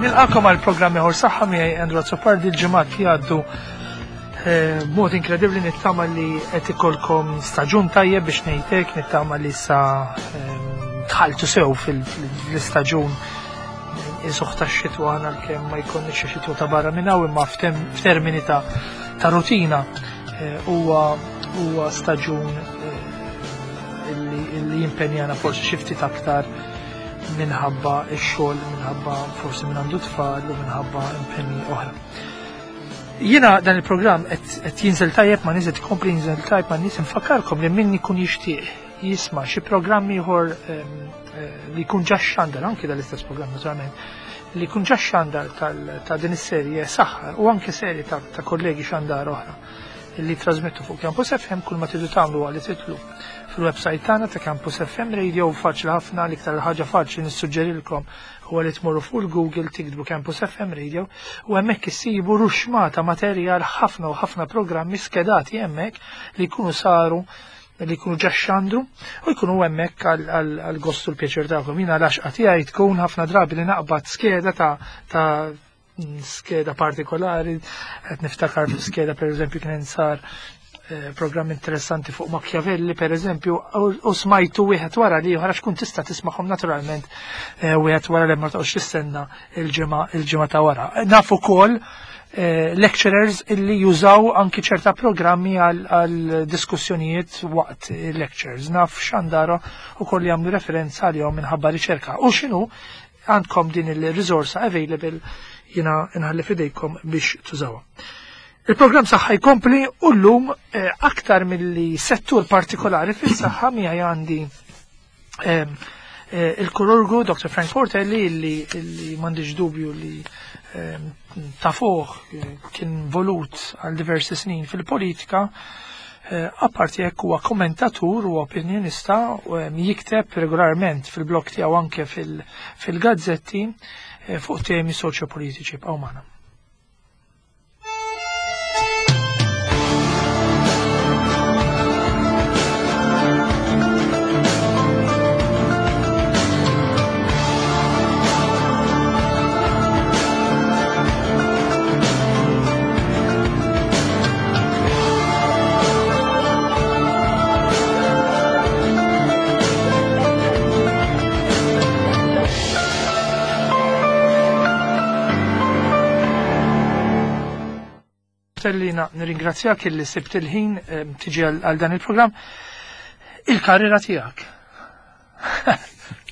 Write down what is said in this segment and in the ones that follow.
Nilqakom għal programm ieħor saħħa miegħi Andrew Azzopardi l-ġimgħat jgħaddu eh, b'mod inkredibbli nittama li qed ikolkom staġun tajjeb biex ngħidlek, nittama li sa eh, tħaltu sew fil-istaġun isuħ ta' xitwa għana l-kem ma jkunniex xi xitwa ta' barra minn hawn imma f'termini ta' ta' rutina eh, huwa huwa staġun illi jimpenjana forsi xi ftit aktar minħabba x-xogħol, minħabba forsi minn għandu tfal u minħabba impenji oħra. Jiena dan il-programm qed jinżel tajjeb ma' nies qed ikompli jinżel tajjeb ma' nies infakkarkom li min ikun jixtieq jisma' xi programm ieħor ehm, eh, li jkun ġa xandar, anki dal-istess programm naturalment, li jkun ġa xandar ta' din is-serje saħħar u anke serje ta' kollegi xandar oħra li trasmettu fuq Campus FM kull ma tridu tagħmlu għal titlu fil-website tagħna ta' Campus FM Radio faċli ħafna l-iktar ħaġa faċli nissuġġerilkom huwa li tmorru fuq il-Google tiktbu Campus FM Radio u hemmhekk issibu ruxmata materjal ħafna u ħafna programmi skedati hemmhekk li jkunu saru li jkunu ġa xandru u jkunu hemmhekk għal gostu l-pjaċir tagħkom. Jiena l-għaxqa tiegħi tkun ħafna drabi li naqbad skeda ta' skeda partikolari, qed niftakar skeda per eżempju kien sar eh, programm interessanti fuq Machiavelli per eżempju, u smajtu wieħed wara li għax kun tista' tismagħhom naturalment eh, wieħed wara li ma taqgħodx tistenna il-ġimgħa il-ġimgħa ta' wara. Naf ukoll eh, lecturers illi jużaw anki ċerta programmi għal diskussjonijiet waqt lectures. Naf xandara u koll jagħmlu referenza għalihom minħabba riċerka. U x'inhu għandkom din il-risorsa available jina nħalli fidejkom biex tużawha. Il-programm saħħa jkompli u llum eh, aktar milli settur partikolari fis-saħħa miegħi għandi ehm, eh, il-kirurgu Dr. Frank Portelli li, li m'għandix dubju li ehm, tafuh eh, kien volut għal diversi snin fil-politika Eh, apparti hekk huwa kommentatur u opinjonista ehm, jikteb regolarment fil-blog tiegħu anke fil-gazzetti eh, fuq temi soċjopolitiċi b'qgħu magħna. Tellina, nirringrazzjak illi sibt il-ħin ehm, tiġi għal dan il-programm. Il-karriera tiegħek.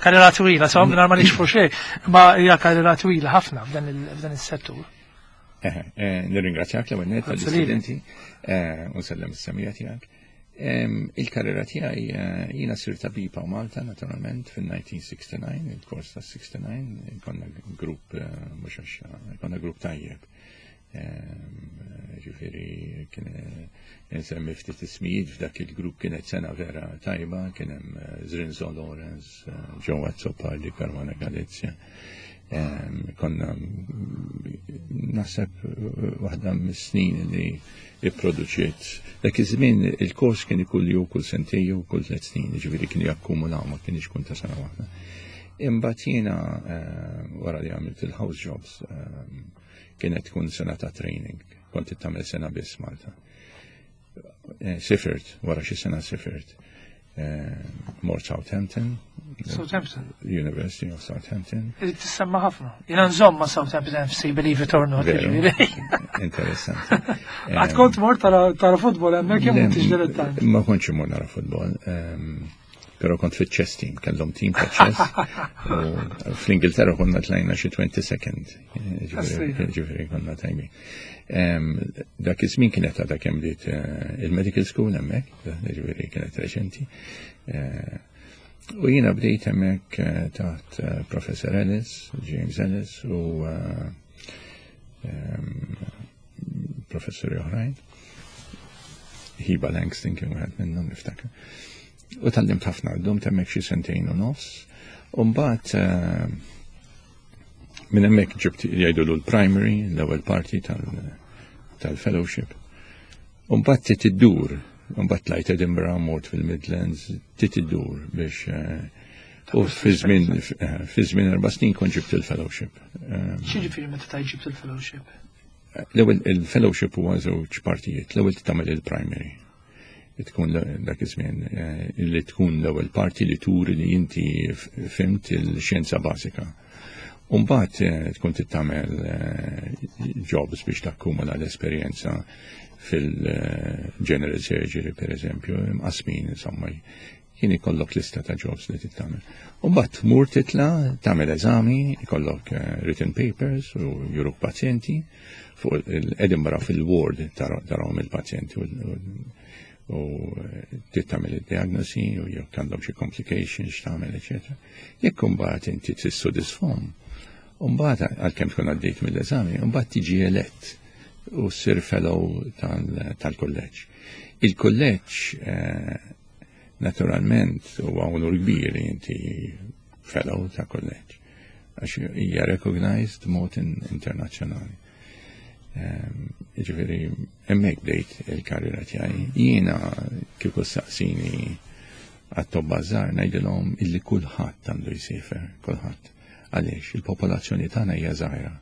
Karriera twila, so minn ma nixfu xejn, ma hija karriera twila ħafna f'dan is-settur. Eh, eh, nirringrazzjak l-ewwel net tal-istudenti eh, u nsellem is-semija tiegħek. Il-karriera tiegħi jiena sir tabib hawn Malta naturalment fil-1969, il-kors ta' 69, konna grupp mhux għax konna grupp tajjeb. Ġifieri kien nsemmi ftit ismijiet f'dak il-grupp kienet sena vera tajba, kien hemm Zrinzo Lawrence, Joe Azzopardi, Caruana Galizia. Konna naħseb waħda mis-snin li ipproduċiet. Dak iż-żmien il-kors kien ikun jew kull sentej jew kull tliet snin, ġifieri kien jakkumulaw ma kienx kun ta' sena waħda. Imbagħad jiena eh, wara li għamilt il-house jobs eh, kienet tkun sena ta' training, kont tagħmel sena biss Malta. Eh, sifirt, wara xi sena sifirt. Eh, mort Southampton. Southampton. University of Southampton. Tissemma ħafna. Jina nżomm ma' Southampton FC, believe it or not. Interessanti. Għad kont mort tara futbol, hemmhekk jew m'intix dilettant. Ma kontx imur nara futbol. Pero kont fit chess team, kellhom team ta' chess. U fl-Ingilterra konna tlajna xi 20 second. Ġifieri konna tajmi. Dak iż-żmien kienet għadha kemm bdiet eh, il-medical school hemmhekk, ġifieri kienet reċenti. Eh, u jiena bdejt hemmhekk eh, taħt Professor Ellis, James Ellis u professori oħrajn. Hiba Langston kien wieħed minnhom niftakar. U tallimt ħafna, domt hemmhekk xi sentejn u nofs. U mbagħad eh, minn hemmhekk ġibt jgħidu l-primary, l-ewwel parti tal-fellowship. U mbagħad trid iddur, u mbagħad tlajt Edinburgh, mort fil-Midlands, trid iddur biex eh, U fi żmien 4 snin kont ġibt il-fellowship. X'jiġifieri meta ta' ġibt il-fellowship? L-ewwel, il-fellowship huwa żewġ partijiet. L-ewwel tagħmel il-primary. Tkun dak iż-żmien li tkun l-ewwel parti li turi li inti fhimt il-xjenza bażika. Umbagħad tkun tagħmel jobs biex takkumula l-esperjenza fil-general surgery, per eżempju, mqasmin, insomma, kien ikollok lista ta' jobs li tagħmel. Umbagħad tmur titla, tagħmel eżami, ikollok written papers u juruk pazjenti fuq il-Edinburgh fil-ward, tarawhom il-pazjenti u tagħmel il-diagnosi u jekk għandhom xi complications x'tagħmel, eċetera. Jekk imbagħad inti tissodisfhom, imbagħad għalkemm tkun għaddejt mill-eżami, imbagħad tiġi elett u ssir fellow tal-kolleġġ. Il-kolleġġ naturalment huwa unur kbir li inti fellow ta' kolleġġ għax hija recognized mod internazzjonali. Ġifieri, hemmhekk bdejt il-karriera tiegħi. Jiena kieku saqsini għat-tobba żgħar ngħidilhom illi kulħadd għandu jsiefer, kulħadd. Għaliex il-popolazzjoni tagħna hija żgħira,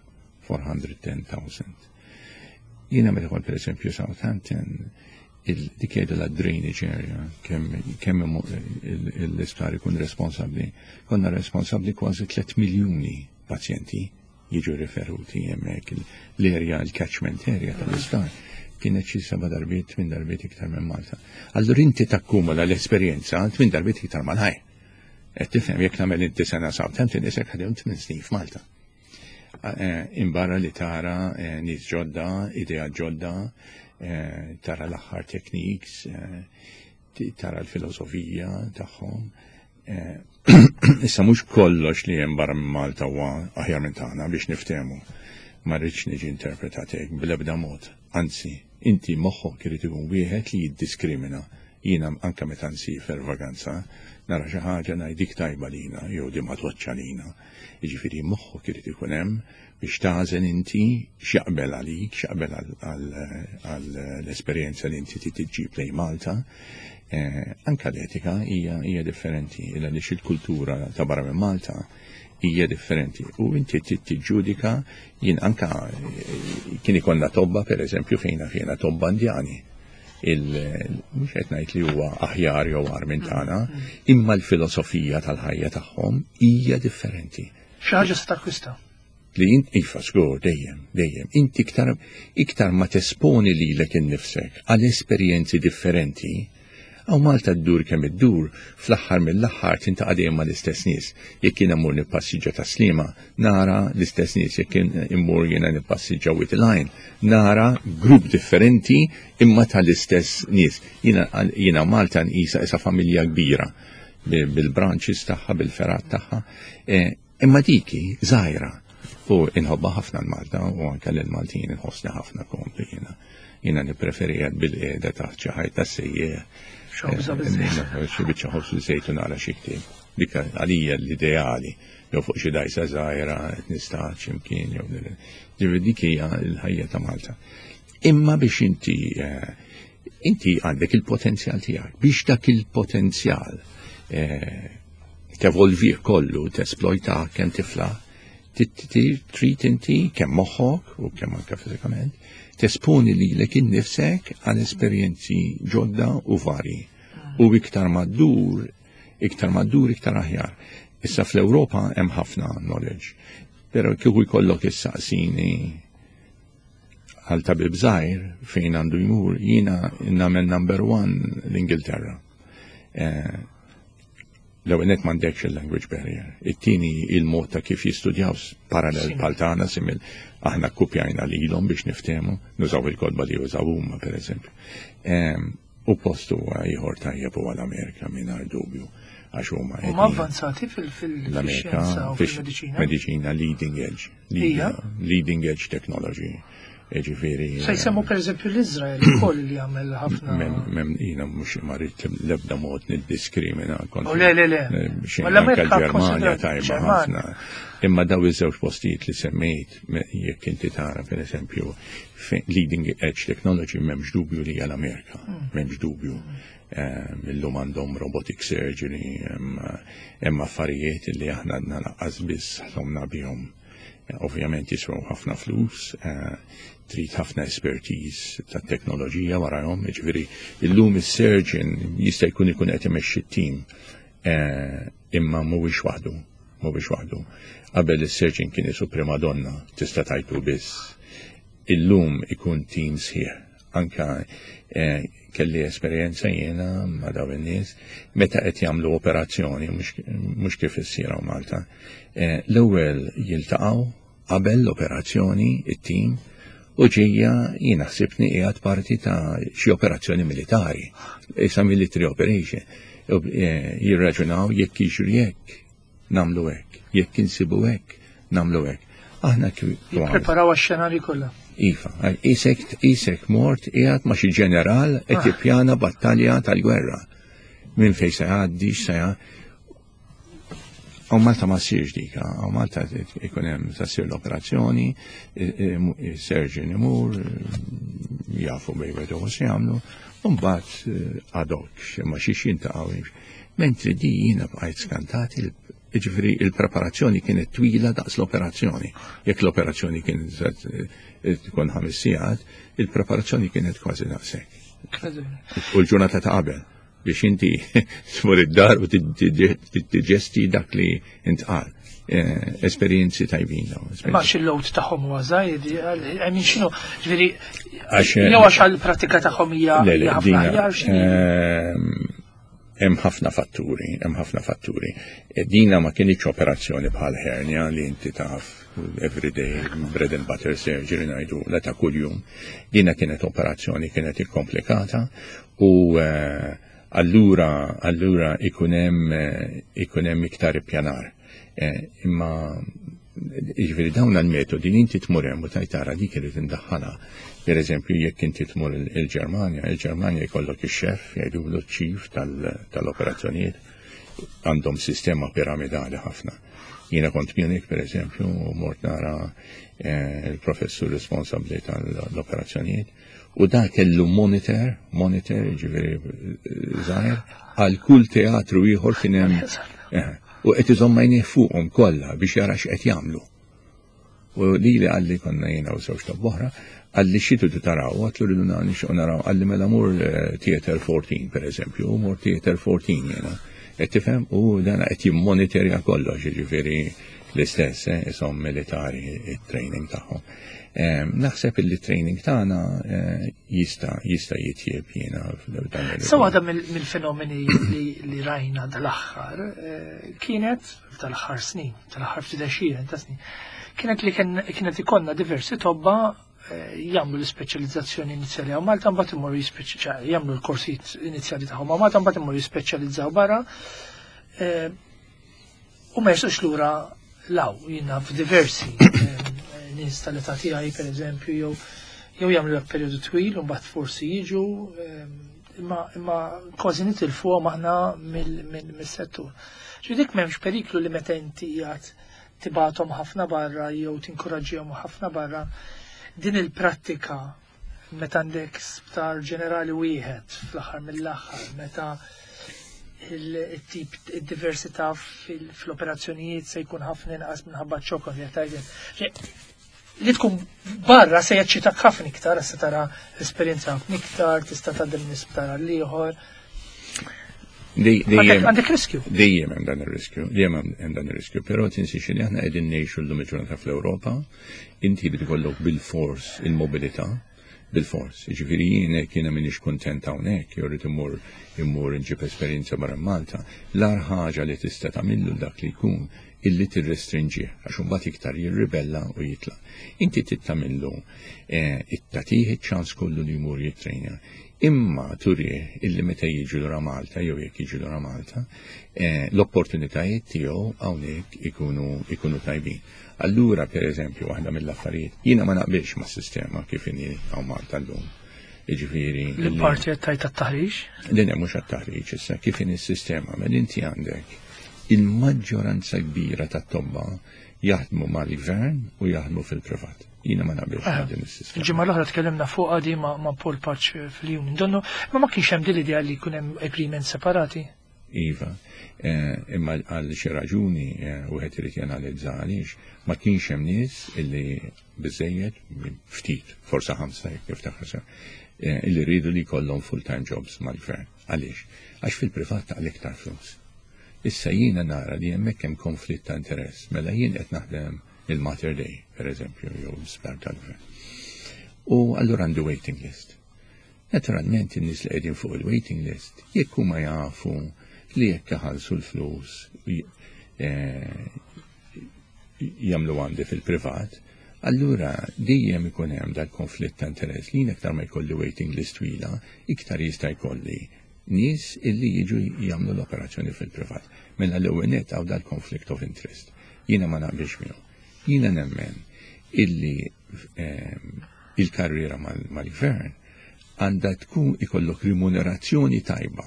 410,000. Jiena meta kont, pereżempju, Southampton, dik jgħidu la drainage area, kemm l-isptar ikun responsabbli. Konna responsabbli kważi 3 miljuni pazjenti jiġu riferuti hemmhekk, l-area, il-catchment area tal-isptar kienet xi seba' darbiet, tmien darbiet iktar minn Malta. Allura inti takkumula l-esperjenza tmien darbiet iktar malajr. Qed tifhem, jekk tagħmel inti sena Southampton, isek ħadem 8 snin f'Malta. Imbarra li tara nies ġodda, idea ġodda, tara l-aħħar techniques, tara l-filosofija tagħhom. Issa mhux kollox li hemm barra minn Malta huwa aħjar minn tagħna, biex niftehmu. Ma rridx niġi interpretat hekk bl-ebda mod. Anzi, inti moħħok irid ikun wieħed li jiddiskrimina. Jiena anke meta nsiefer vaganza, nara xi ħaġa ngħid dik tajba lina jew di ma tgħoddx għalina. Jiġifieri moħħok irid ikun hemm biex tagħżel inti x'jaqbel għalik, x'jaqbel għall-esperjenza li inti trid iġġib lejn Malta. Anka l-etika hija differenti, illa għaliex il-kultura ta' barra minn Malta hija differenti. U inti trid tiġġudika. Jien anka kien ikollna tobba, per eżempju, fejna fejna tobba Indjani. Mhux qed ngħid li huwa aħjar jew agħar minn tagħna, imma l-filosofija tal-ħajja tagħhom hija differenti. Xi ħaġa se takkwista. Li int iva żgur, dejjem, dejjem. Inti iktar iktar ma tesponi lilek innifsek għal esperjenzi differenti, hawn Malta ddur kemm iddur, fl-aħħar mill-aħħar tiltaqa' dejjem mal-istess nies. Jekk jien immur nippassiġġa ta' Sliema, nara l-istess nies, jekk jien immur jiena nippassiġġa Wied il-Għajn, nara grupp differenti imma tal-istess nies. Jiena Malta nqisha isa familja kbira bil-branches tagħha, bil-fergħat tagħha. Imma diki żgħira u inħobba ħafna l-Malta u anke l-Maltin inħossni ħafna komdu jiena. Jiena nippreferi bil-qiegħda taħt xi ħajt tas-sejjieħ. Xobża biżejt. Xi biċċa ħobż u żejt u nara xi ktieb. Dik għalija l-ideali, jew fuq xi dgħajsa żgħira qed nistad x'imkien jew ġifieri dik hija l-ħajja ta' Malta. Imma biex inti għandek il-potenzjal tiegħek, biex dak il-potenzjal tevolvih kollu, tesplojta kemm tiflaħ, trid inti kemm moħħok u kemm anke fiżikament tesponi lilek innifsek għal esperjenzi ġodda u varji. U iktar ma ddur, iktar ma ddur, iktar aħjar. Issa fl-Ewropa hemm ħafna knowledge. Però kieku jkollok issaqsini għal tabib żgħir fejn għandu jmur, jiena nagħmel number one l-Ingilterra. L-ewwel net m'għandekx il-language barrier. It-tieni, il-mod ta' kif jistudjaw parallel bħal tagħna, simil, aħna kkupjajna lilhom biex niftehmu, nużaw il-kotba li jużaw huma, pereżempju. U postu huwa ieħor tajjeb huwa l-Amerika, mingħajr dubju, għax huma Huma avvanzati l-Amerika fil-xjenza u fil-mediċina. Mediċina leading edge. Ija. Leading edge technology. Ġifieri. Se jsemmu pereżempju l-Iżrael ukoll li jagħmel ħafna. Mem jiena mhux ma rrid l-ebda mod niddiskrimina kontra. Le, le, le. L-Amerika Ġermanja tajba ħafna. Imma daw iż-żewġ postijiet li semmejt, jekk inti tara pereżempju leading edge technology m'hemmx dubju li hija l-Amerika, m'hemmx dubju. Illum għandhom robotic surgery, hemm affarijiet li aħna għadna laqqas biss ħlomna bihom. Ovvjament jiswew ħafna flus, trid ħafna expertise ta' teknoloġija warahom, jiġifieri illum is-surgeon jista' jkun ikun qed imexxi t-tim imma mhuwiex waħdu, mhuwiex waħdu. Qabel is-surgeon kien isu prima donna, tista' tajtu biss. Illum ikun tim sħiħ. Anka kelli esperjenza jiena ma' dawn in-nies meta qed jagħmlu operazzjoni mhux kif issir hawn Malta. L-ewwel jiltaqgħu qabel l-operazzjoni it-tim u ġejja jiena ħsibni qiegħed parti ta' xi operazzjoni militari, isa military operation. Jirraġunaw jekk jiġri hekk nagħmlu hekk, jekk insibu hekk nagħmlu hekk. Aħna kif Jippreparaw għax-xenarji kollha. Iva, isek mort qiegħed ma' xi ġeneral qed jippjana battalja tal-gwerra. Minn fejn se jgħaddi, x'se Hawn Malta ma ssirx dika, hawn Malta ikun hemm se ssir l-operazzjoni, is-surgeon imur, jafu bejn wieħed u se jagħmlu, u mbagħad ad hoc, ma xiex jintaqgħu. Mentri di jiena bqajt skantati, jiġifieri il-preparazzjoni kienet twila daqs l-operazzjoni. Jekk l-operazzjoni kienet tkun 5 sigħat, il-preparazzjoni kienet kważi daqshekk. U l-ġurnata ta' qabel biex inti tmur id-dar u tiġesti dak li intqal. Esperjenzi tajbin dawn, esperjenzi. Ma xil-load tagħhom huwa żgħir, I mean x'inhu, ġifieri, jew għax għall-pratika tagħhom hija Le, le, ħafna dina, aħjar, x'inhi? Hemm ħafna fatturi, hemm ħafna fatturi. Dina ma kienx operazzjoni bħal hernia li inti taf everyday bread and butter surgery ngħidu la ta' kuljum. Dina kienet operazzjoni kienet ikkomplikata u allura ikun hemm iktar ippjanar. Imma jiġifieri dawn għal-metodi li inti tmur hemm u tajt tara dik irid indaħħalha. Per eżempju, jekk inti tmur il-Ġermanja, il-Ġermanja jkollok ix-xef, jgħidulu ċ-chief tal-operazzjonijiet, għandhom sistema piramidali ħafna. Jiena kont Munich, per eżempju, u mort nara il-professur responsabbli tal-operazzjonijiet, u da kellu monitor, ġifieri żgħir, għal kull teatru ieħor kien hemm, u qed iżomm għajnejh fuqhom kollha biex jara x'qed jagħmlu. U li għalli konna jiena u żewġ tobba oħra, għalli xi tridu taraw, għatlu rridu nixtiequ naraw, għalli mela mur Theater 14, per eżempju, u mur Theater 14 jiena. Qed tifhem, u dan qed jimmonitorja kollox, jiġifieri l-istess, isom militari it-training tagħhom. Naħseb illi training tagħna jista' jitjieb jiena f'dan il- Sa waħda mill-fenomeni li rajna dal-aħħar kienet tal-aħħar snin, tal-aħħar ftit għexieren ta' snin, kienet li kienet ikollna diversi tobba jagħmlu l-ispeċjalizzazzjoni inizjali hawn Malta, mbagħad imorru jagħmlu l-korsijiet inizjali tagħhom hawn Malta, mbagħad imorru jispeċjalizzaw barra u ma jersqux lura law, jiena f'diversi nies tal-età tiegħi pereżempju, jew jagħmlu hekk perjodu twil u mbagħad forsi jiġu, imma kważi nitilfuhom aħna mis-settur. Ġifieri dik m'hemmx periklu li meta inti qiegħed tibgħathom ħafna barra jew tinkoraġġihom ħafna barra, din il-prattika meta għandek sptar ġenerali wieħed fl-aħħar mill-aħħar, meta il-tip, id-diversità fl-operazzjonijiet se jkun ħafna inqas minħabba ċokon li qed tgħidin. Li tkun barra se jaċċitak ħafna iktar, se tara esperjenza ħafna iktar, tista' tgħaddi minn isptar għal ieħor. Għandek riskju. Dejjem hemm dan ir-riskju, dejjem hemm dan ir-riskju, però tinsiex li aħna qegħdin ngħixu llum il-ġurnata fl-Ewropa, inti li tkollok bil-fors il-mobilità, bil-fors. Jiġifieri jien hekk jiena m'iniex kuntent hawnhekk, jew rrid immur inġib esperjenza barra Malta. L-agħar ħaġa li tista' tagħmillu dak li jkun illi tirrestrinġih, għax imbagħad iktar jirribella u jitlaq. Inti trid tagħmillu it-tagħtih iċ-ċans kollu li jmur jittrejna. Imma turih illi meta jiġi lura Malta jew jekk jiġi lura Malta, eh, l-opportunitajiet tiegħu hawnhekk ikunu ikunu tajbin. Allura, per eżempju, waħda mill-affarijiet, jiena ma naqbilx mas-sistema kif inhi hawn Malta llum. Jiġifieri. L-parti qed tgħid tat-taħriġ? Le mhux għat-taħriġ issa kif inhi s-sistema, mela inti għandek il-maġġoranza kbira tat-tobba jaħdmu mal-gvern u jaħdmu fil-privat. Jiena ma naqbilx ma' din is-sistema. Il-ġimgħa l-oħra tkellimna fuq di ma' Paul Paċ fil-Union. Donnu, ma ma kienx hemm din l-idea li jkun hemm agreements separati? Iva, eh, imma għal xi raġuni eh, wieħed irid janalizza għaliex ma kienx hemm nies illi biżejjed ftit, forsa ħamsa jekk niftakar sew, eh, illi rridu li jkollhom full-time jobs mal-gvern. Għaliex? Għax fil-privat taqla' iktar flus. Issa jiena nara li hemmhekk hemm konflitt ta' interess, mela jien qed naħdem il-Mater Dei, per eżempju, jew l-isptar tal-gvern. U allura għandi waiting list. Naturalment in-nies li qegħdin fuq il-waiting list, jekk huma jafu li jekk iħallsu l-flus eh, jagħmlu għandi fil-privat, allura dejjem ikun hemm dal-konflitt ta' interess li jien iktar ma jkolli waiting list twila, iktar jista' jkolli nies illi jiġu jagħmlu l-operazzjoni fil-privat. Mela l-ewwel nett hawn dal-conflict of interest. Jiena ma naqbilx miegħu. Jiena nemmen illi ehm, il-karriera mal-gvern għandha tkun ikollok rimunerazzjoni tajba.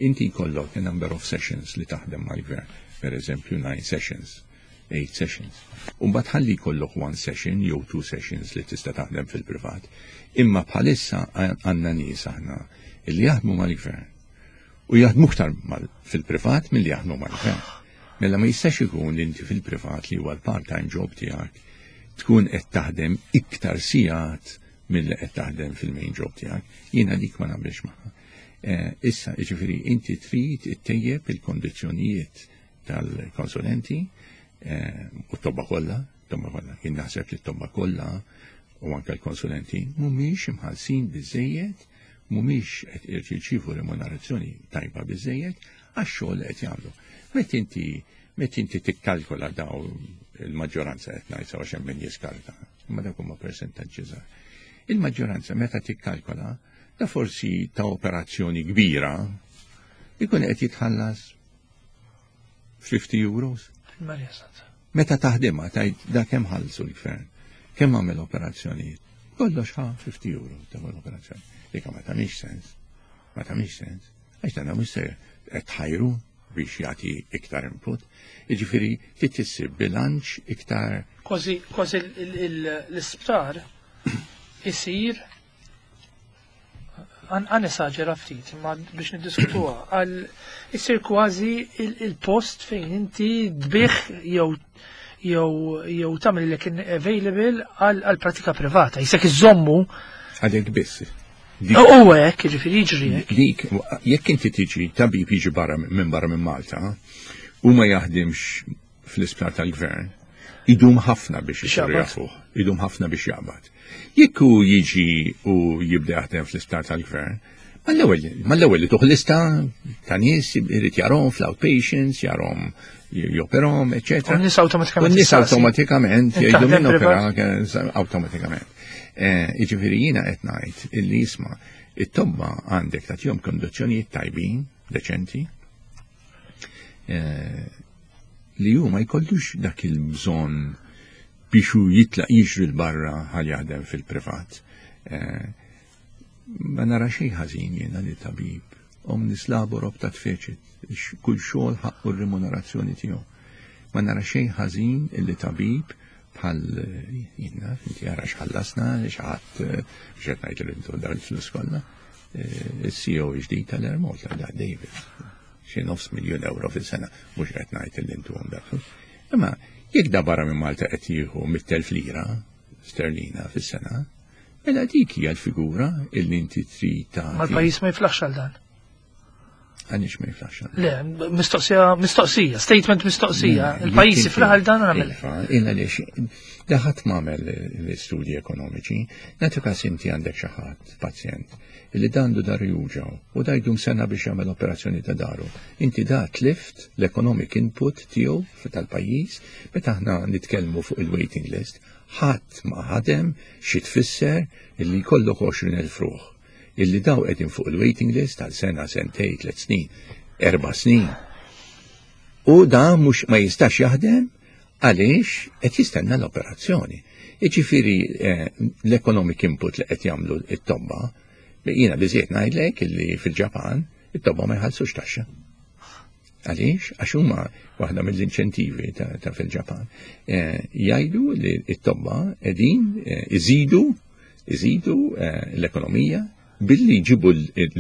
Inti jkollok a number of sessions li taħdem mal-gvern, per eżempju 9 sessions, 8 sessions. U mbagħad ħalli jkollok one session jew two sessions li tista' taħdem fil-privat. Imma bħalissa għandna nies aħna illi jaħdmu mal-gvern u jaħdmu iktar fil-privat milli jaħdmu mal-gvern. Mela ma jistax ikun li inti fil-privat li huwa l-part-time job tiegħek tkun qed taħdem iktar sigħat milli qed taħdem fil-main job tiegħek. Jiena dik ma naqbilx magħha. Eh, issa, jiġifieri inti trid ittejjeb il-kondizzjonijiet tal-konsulenti eh, u t-tobba kollha, tobba kollha. Jien naħseb li t-tobba kollha u anke l-konsulenti mhumiex imħallsin biżejjed, mhumiex qed jirċievu remunerazzjoni tajba biżejjed għax-xogħol li qed jagħmlu. Meta inti meta inti tikkalkola daw il-maġġoranza qed ngħid sewa hemm min jiskarta, imma dak huma persentaġġi żgħar. Il-maġġoranza meta tikkalkola da forsi ta' operazzjoni kbira ikun qed jitħallas 50 euros. Meta taħdimha tgħid da kemm ħallsu l-gvern, kemm għamel operazzjonijiet. Kollox ħa 50 euro ta' l-operazzjoni. Dik ma tagħmilx sens. Ma tagħmilx sens. Għax dan mhux se qed tħajru biex jagħti iktar input. Jiġifieri trid issib bilanċ iktar. Kważi kważi l-isptar isir għan esaġera ftit, ma biex niddiskutuha, għal isir kważi il-post fejn inti tbih jew jew jew tagħmel li kien available għal pratika privata. Jisek iżommu. Għalhekk biss. U hekk, jiġifieri jiġri hekk. Dik, jekk inti tiġi tabib jiġi barra minn barra minn Malta u ma jaħdimx fl-isptar tal-gvern, idum ħafna biex isiru jafuh, idum ħafna biex jaqbad. Jekk hu jiġi u jibda jaħdem fl-isptar tal-gvern, mal-ewwel li tuħ lista ta' nies irid jarhom fl-outpatients, jarhom joperhom, eċetera. U n-nies awtomatikament. U n-nies awtomatikament jgħidu minn opera awtomatikament. Eh, jiġifieri jiena qed ngħid illi jisma' it-tobba għandek tagħtihom kondizzjonijiet tajbin, deċenti, eh, li hu ma jkollux dak il-bżonn biex hu jitlaq jiġri l-barra ħal jaħdem fil-privat. Eh, ma nara xejn ħażin jiena li tabib omnis labor optat fecit, kull xogħol ħaqqu r-remunerazzjoni tiegħu. Ma nara xejn ħażin illi tabib bħal jiena, inti għara xħallasna, xaħat biex qed ngħid li intu dawn il-flus kollha, eh, il-CEO ġdid tal-Air Malta, da David, xi nofs miljun euro fis-sena, mhux qed ngħid li intuhom dak. Imma jekk da barra minn Malta qed jieħu mit-telf lira sterlina fis-sena, mela dik hija l-figura illi inti trid tagħti. Ma l-pajjiż ma jiflaħx għal dan. Għaliex ma jiflaħx għal Le, mistoqsija, mistoqsija, statement mistoqsija. Il-pajjiż jiflaħ għal dan għamel. Iva, illa għaliex daħat m'għamel l-istudji ekonomiċi, nagħti każ inti għandek xi ħadd pazjent li dandu dar juġaw u da jdum sena biex jagħmel operazzjoni ta' daru. Inti da tlift l-economic input tiegħu tal-pajjiż meta aħna nitkellmu fuq il-waiting list, ħadd ma ħadem xi tfisser illi jkollok 20,000 ruħ. Illi daw qegħdin fuq il-waiting list għal sena, sentej, 3 snin, 4 snin. U da mhux ma jistax jaħdem għaliex qed jistenna l-operazzjoni. Iġifieri l-economic input li qed jagħmlu it-tobba, jiena biżejjed ngħidlek illi fil-Ġapan it-tobba ma jħallsux taxxa. Għaliex? Għax huma waħda mill-inċentivi ta' fil-Ġapan jgħidu li t-tobba qegħdin iżidu l-ekonomija billi jġibu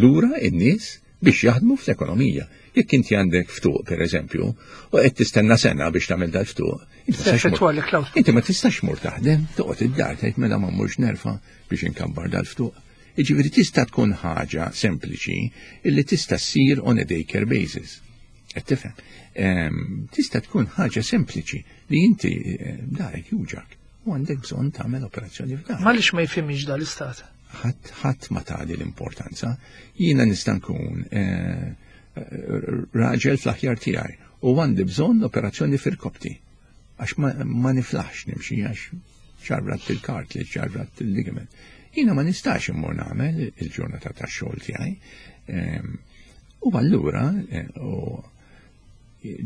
lura n-nies biex jaħdmu fl-ekonomija. Jekk inti għandek ftuq, per eżempju, u qed tistenna sena biex tagħmel dal-ftuq, inti ma tistax mur taħdem, toqgħod id-dar tgħid mela ma mmurx nerfa biex inkabbar dal-ftuq. Jiġifieri tista' tkun ħaġa sempliċi illi tista' ssir on a daycare basis. Qed tifhem? Tista' tkun ħaġa sempliċi li inti darek juġgħak u għandek bżonn tagħmel operazzjoni f'dar. Għaliex ma jifhimx dal-istat? Ħadd ma tagħti l-importanza. Jiena nista' nkun raġel fl-aħjar tiegħi u għandi bżonn operazzjoni f'irkoppti. Għax ma niflaħx nimxi għax ċarrat il-cartilage, ċarrat il-ligament. Jiena ma nistax immur nagħmel il-ġurnata ta' xogħol tiegħi. U allura u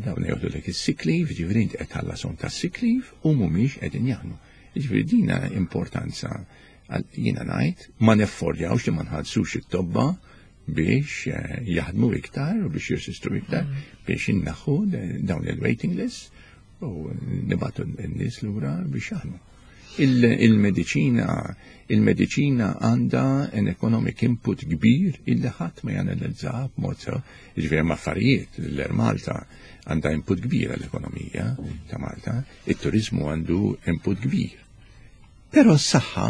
dawn jgħidu is-sick leave, ġifieri inti qed tħallasom ta' sick leave u mhumiex qegħdin jaħdmu. Ġifieri dina importanza jiena ngħid ma neffordjawx li ma nħallsux it-tobba biex jaħdmu iktar u biex jirsistu iktar biex innaħħu dawn il-waiting list u nibagħtu n-nies lura biex jaħdmu. Il-mediċina għandha an economic input kbir illi ħadd ma janalizza b'mod sew. Ġifieri hemm affarijiet, l-Air Malta għandha input kbir għall-ekonomija ta' Malta, it-turizmu għandu input kbir. Però s-saħħa,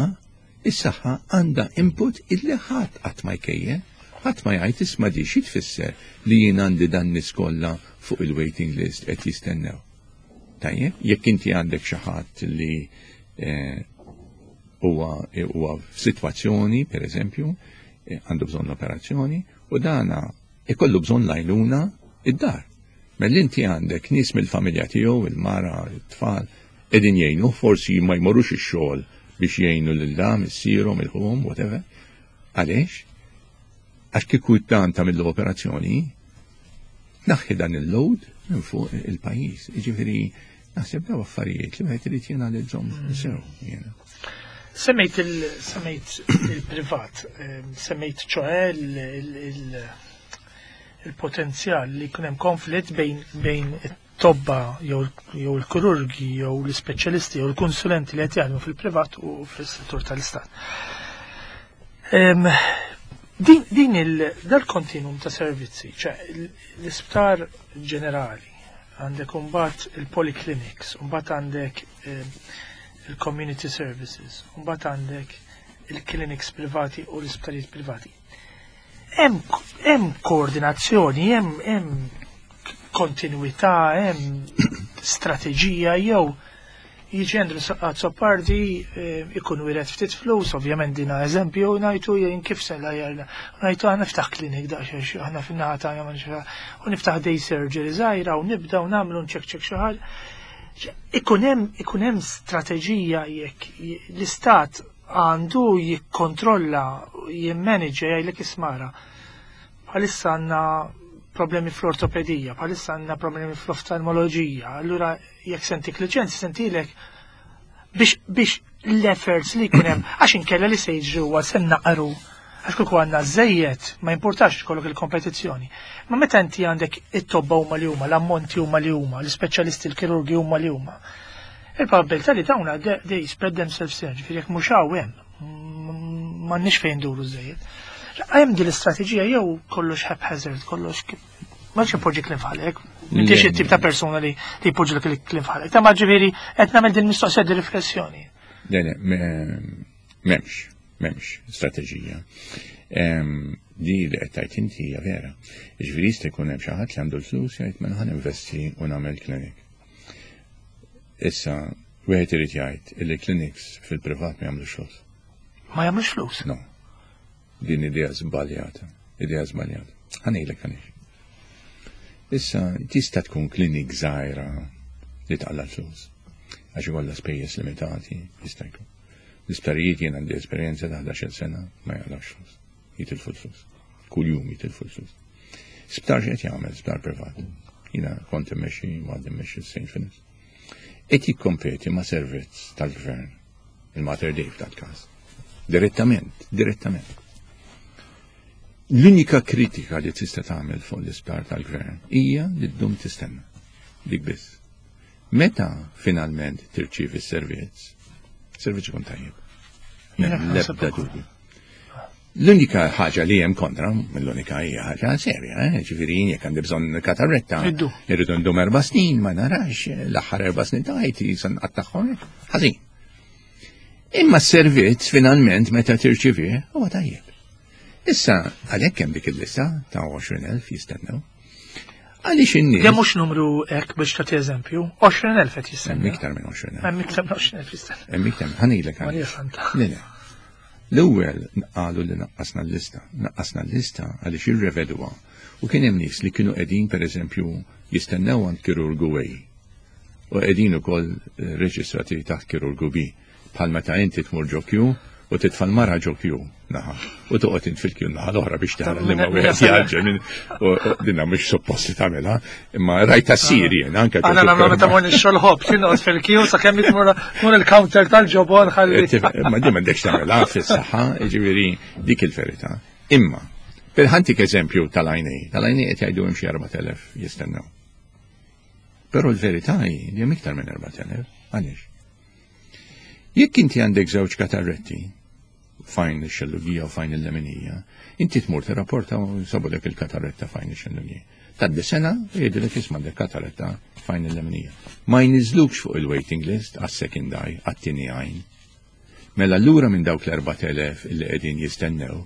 is-saħħa għandha input illi ħadd qatt ma jkejjel, ħadd ma jgħid, isma', di xi tfisser li jien għandi dan nies kollha fuq il-waiting list qed jistennew? Tajjeb, jekk inti għandek xi ħadd li huwa f'sitwazzjoni, per eżempju, għandu bżonn operazzjoni u dana ikollu bżonn l-għajnuna id-dar. Mela inti għandek nies mill-familja tiegħu, il-mara, it-tfal, qegħdin jgħinu, forsi ma jmorrux ix-xogħol biex jgħinu lil da, missierhom, il-ħuhom, whatever. Għaliex? Għax kieku dan tagħmillu operazzjoni, naħħi dan il-load minn fuq il-pajjiż. Jiġifieri naħseb daw affarijiet li wieħed irid janalizzhom sew jiena. Semmejt il-privat, semmejt ċoħe il-potenzjal li jkun hemm konflitt bejn it-tobba jew il-kirurgi jew l-ispeċjalisti jew il-konsulenti li qed jaħdmu fil-privat u fis-settur tal-istat. Din il dal-kontinum ta' servizzi, ċe l-isptar ġenerali, għandek imbagħad il-polyclinics, imbagħad għandek il-community services, imbagħad għandek il-clinics privati u l-isptarijiet privati. Hemm koordinazzjoni, hemm kontinuità, hemm strateġija jew jiġi Andrew Azzopardi ikun wiret ftit flus, ovvjament dina eżempju, ngħidu jien kif se la ngħidu għana niftaħ klinik daqsxejn aħna fin-naħa tagħna ma nix u niftaħ day surgery żgħira u nibda u nagħmlu nċekċek xi ħaġa. Ikun hemm strateġija jekk l-istat għandu jikkontrolla, jimmanage, jgħidlek, isma', ara. Bħalissa għandna problemi fl-ortopedija, bħalissa għandna problemi fl-oftalmoloġija, allura jekk se ntik liċenzja, se ntilek biex l-efforts li jkun hemm, għax inkella li se jiġri huwa se naqru, għax kieku għandna żejjed ma importax kollok il-kompetizzjoni. Ma meta inti għandek it-tobba huma li huma, l-ammonti huma li huma, l-ispeċjalisti, l-kirurgi huma li huma. Il-probabilità li dawna they spread themselves thin, ġifieri jekk mhux hawn hemm, m'għandniex fejn duru żejjed. Hemm din l-istrateġija jew kollox haphazard, kollox ma npoġġi kliem f'ħalqek, m'intix it-tip ta' persuna li jpoġġi l kliem f'ħalqek. Ta' ma ġifieri qed nagħmel din mistoqsija, di riflessjoni. Le, m'hemmx strateġija. Di li qed tgħid inti hija vera. Ġifieri jista' jkun hemm xi ħadd li għandu l-flus jgħid, mela ħa ninvesti u nagħmel clinic. Issa, wieħed irid jgħid illi clinics fil-privat ma jagħmlux flus. Ma jagħmlux flus. No. Din idea żbaljata. Idea żbaljata. Ħa ngħidlek għaliex. Issa, tista' tkun klinik żgħira li taqla' l-flus. Għax ikollha spejjeż limitati, jista' jkun. L-isptarijiet, jien għandi esperjenza ta' 11 sena, ma jaqlawx flus. jitilfu l-flus. Kull jum jitilfu l-flus. Sptar x'qed jagħmel sptar privat. Jiena kont immexxi għad immexxi St. Finis. Qed jikkompeti ma' servizz tal-gvern, il-Mater Dei f'dal-każ. Direttament, direttament. L-unika kritika li tista' tagħmel fuq l-isptar tal-gvern hija li ddum tistenna. Dik biss. Meta finalment tirċievi s-servizz, servizz ikun tajjeb. L-ebda dubju. L-unika ħaġa li hemm kontra, l-unika hija ħaġa serja, eh? ġifieri jekk għandi bżonn katarretta, irridu ndum erba' snin, ma narax l-aħħar erba' snin ta' ħajti se nqattagħhom ħażin. Imma s-servizz finalment meta tirċivih huwa tajjeb. Issa għalhekk hemm dik il-lista ta' 20,000 jistennew. Għaliex in-nies. Ja mhux numru hekk biex tagħti eżempju, 20,000 qed jistennew. Hemm iktar minn 20,000. Hemm iktar minn 20,000 jistennew. Hemm iktar, ħanilek għaliex. Le, le. L-ewwel qalu li naqqasna l-lista. Naqqasna l-lista għaliex irrevedwa. U kien hemm nies li kienu qegħdin pereżempju jistennew għand kirurgu A. U qegħdin ukoll eh, reġistrati taħt kirurgu B. Bħal meta inti tmur ġo kju u titfa' l-mara ġo kju naħa u toqgħod int fil-kju naħa l-oħra biex tara li ma wieħed jaġġel u dinha mhux suppost li tagħmilha, imma rajta ssir jien anke. Aħna nagħmlu meta morni x-xogħol ħobb, kien noqgħod fil-kju sakemm tmur il-counter tal-ġobon ħalli. Eh, imma din m'għandekx tagħmilha fis-saħħa, jiġifieri dik il-verità. Imma, bil-ħantik eżempju tal-għajnej, tal-għajnej qed jgħidu hemm xi 4000 jistennew. Però l-verità hi li hemm iktar minn 4000, għaliex? Jekk inti għandek żewġ katarretti, fajn ix-xellugija u fajn il-leminija, inti tmur tirrapporta u jsabulek il-katarretta fajn ix-xellugija. Taddi sena u jgħidilek isma' għandek katarretta fajn il-leminija. Ma jniżlukx fuq il-waiting list għas-second eye, għat-tieni għajn. Mela allura minn dawk l-4000 illi qegħdin jistennew,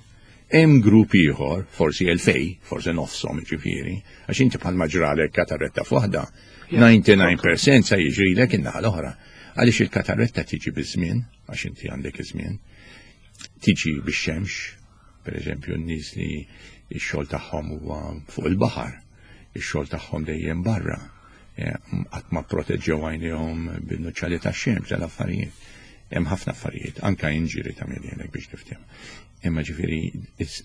hemm grupp ieħor, forsi 2000, forsi nofshom jiġifieri, għax inti bħalma ġralek katarretta f'waħda, 99% sa jiġrilek in-naħa l-oħra. Għaliex il-katarretta tiġi biż-żmien, għax inti għandek iż-żmien, tiġi bix-xemx, per eżempju n-nies li x-xogħol tagħhom huwa fuq il-baħar, ix-xogħol tagħhom dejjem barra, eh, qatt ma proteġġew għajnejhom bin-nuċċali tax-xemx tal-affarijiet. Hemm ħafna affarijiet, anka inġiri ta' miljenek biex niftehom. Imma ġifieri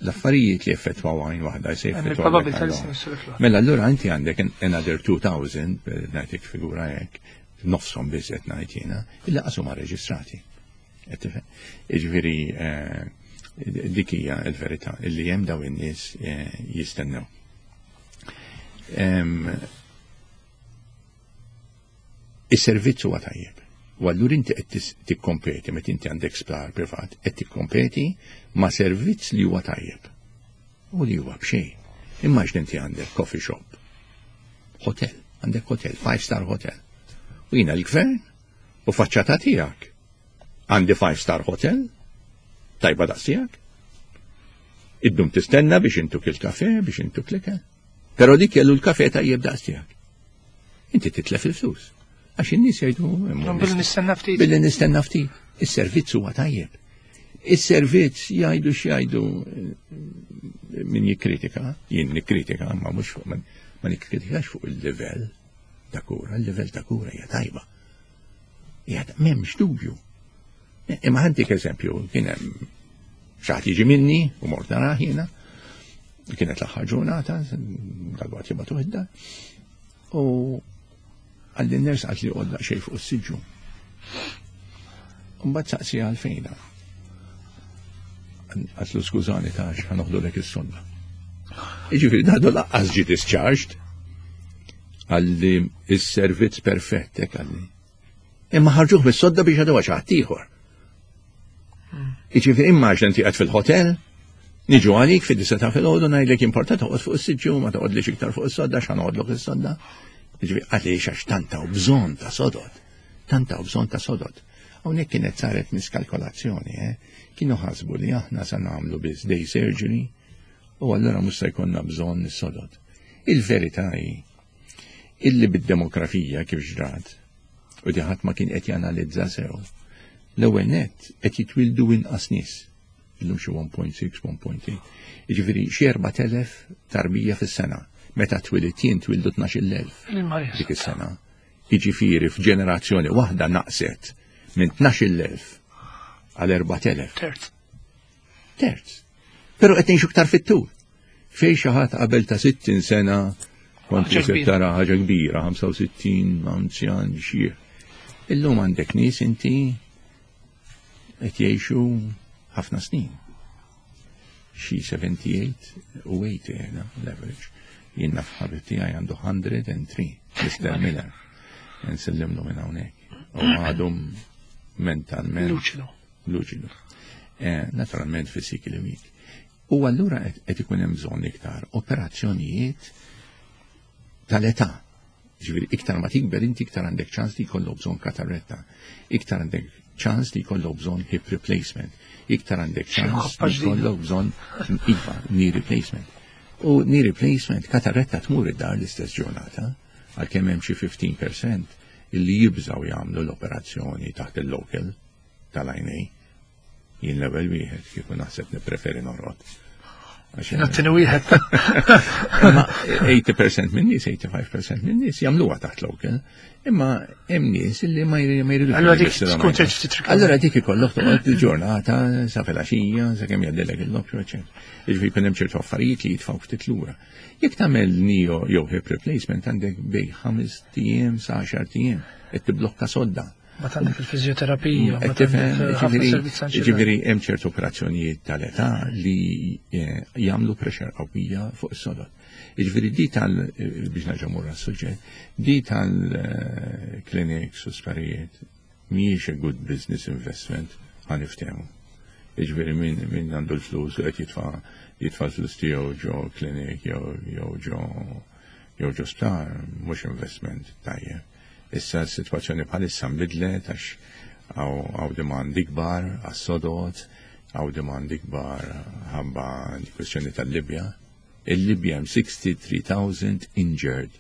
l-affarijiet li effettwaw għajn waħda se jeffettwaw. Mela allura inti għandek another 2000, eh, ngħidlek figura hekk, nofshom biss qed ngħid jiena, illa qasu ma reġistrati. Jiġifieri eh, dik hija l-verità illi hemm daw in-nies eh, jistennew. Is-servizz huwa tajjeb. U allura inti qed tikkompeti meta inti għandek sptar privat, qed tikkompeti ma' servizz li huwa tajjeb. U li huwa b'xejn. Immaġni inti għandek coffee shop, hotel, għandek hotel, five star hotel. U jiena l-gvern u faċċata tiegħek. Għandi five star hotel, tajba daqsijak. Iddum tistenna biex intuk il-kafe, biex intuk l-ikel. Pero dik kellu l-kafe tajjeb daqs tiegħek. Inti titlef il-flus. Għax in-nies jgħidu billi nistenna ftit. Billi nistenna ftit. Is-servizz huwa tajjeb. Is-servizz jgħidu x'jgħidu eh, min jikkritika, jien nikkritika, ma mhux fuq ma nikkritikax fuq il-livell ta' kura, il-livell ta' kura hija tajba. Hija m'hemmx dubju. Imma ħantik eżempju, kien hemm xaħat jiġi minni u mort narah jiena, kienet l-aħħar ġurnata, dal-waqt jibgħatu id u għalli n-ners għat li għodda xej fuq s-siġu. Mbagħad saqsi għalfejna. Għatlu skużani ta' xħanoħdu lek is-sonda. Iġifieri dadu laqqas ġi discharged għalli is-servizz perfett hekk għalli. Imma ħarġuh mis-sodda biex għadu għax ieħor. Jiġifieri immaġna inti qed fil-hotel, niġu għalik fid-disa ta' filgħodu ngħidlek importa toqgħod fuq is-siġġu ma toqgħodlix iktar fuq is-sodda x'ħanoqgħodlok is-sodda. Jiġifieri għaliex għax tant hawn bżonn ta' sodod. Tant hawn bżonn ta' sodod. Hawnhekk kienet saret miskalkolazzjoni, eh? Kienu ħasbu li aħna se nagħmlu biss day surgery u allura mhux se jkollna bżonn is-sodod. Il-verità hi illi bid-demografija kif ġrat u di ħadd ma kien qed janalizza sew. L-ewwel nett qed jitwildu inqas nies. Illum xi 1.6, 1.8. Jiġifieri xi 4000 tarbija fis-sena. Meta twilidt jien twildu 12,000 dik is-sena. Jiġifieri f'ġenerazzjoni waħda naqset minn 12,000 għal 4,000. Terz. Terz. Però qed ngħixu iktar fit-tul. Fejn xi ħadd qabel ta' 60 sena kont se tara ħaġa kbira, 65 anzjan xieħ. Illum għandek nies inti qed jgħixu ħafna snin. Xi 78 u 80 qiegħda l-average. Jien naf ħabib tiegħi għandu 103, Mr. Miller. Nsellimlu minn hawnhekk. U għadhom mentalment. Luċidu. Luċidu. Eh, naturalment physically weak. U allura qed ikun hemm bżonn iktar operazzjonijiet tal-età. Ġifieri iktar ma tikber inti iktar għandek ċans li jkollok bżonn katarretta, iktar għandek ċans li jkollok bżonn hip replacement, iktar għandek ċans li jkollok bżonn iva, knee replacement. U knee replacement, katarretta tmur id-dar l-istess ġurnata, għalkemm hemm xi 15% illi jibżaw jagħmlu l-operazzjoni taħt il-local tal-għajnej. Jien l-ewwel wieħed kieku naħseb nippreferi norqod. Għattini wieħed. Imma 80% minn nies, 85% minn nies jagħmluha taħt local, imma hemm nies li ma jridux. Allura dik tkun trid ftit Allura dik ikollok toqgħod il-ġurnata sa filgħaxija sakemm jgħaddilek il-loppju, eċetera. Jiġifieri jkun hemm ċertu affarijiet li jitfgħu ftit lura. Jekk tagħmel neo jew hip replacement għandek bej ħames tiem sa għaxar tiem qed tiblokka sodda. Ma għandek il-fizjoterapija, ma għandek Ġifieri hemm ċertu operazzjonijiet tal-età li eh, jagħmlu pressure qawwija fuq is-sodod. Jiġifieri di tal eh, biex nerġa' mur għas-suġġett, di tal-clinics u sparijiet mhijiex a good business investment ħa niftehmu. Jiġifieri min min għandu l-flus u qed jitfa' jitfa' l-flus tiegħu ġo clinic jew jew ġo jew ġo sptar mhux investment tajjeb. Issa s-sitwazzjoni bħalissa nbidlet għax hawn demand ikbar għas-sodod, hawn demand ikbar ħabba l-kwestjoni tal-Libja. Il-Libja hemm 63,000 injured,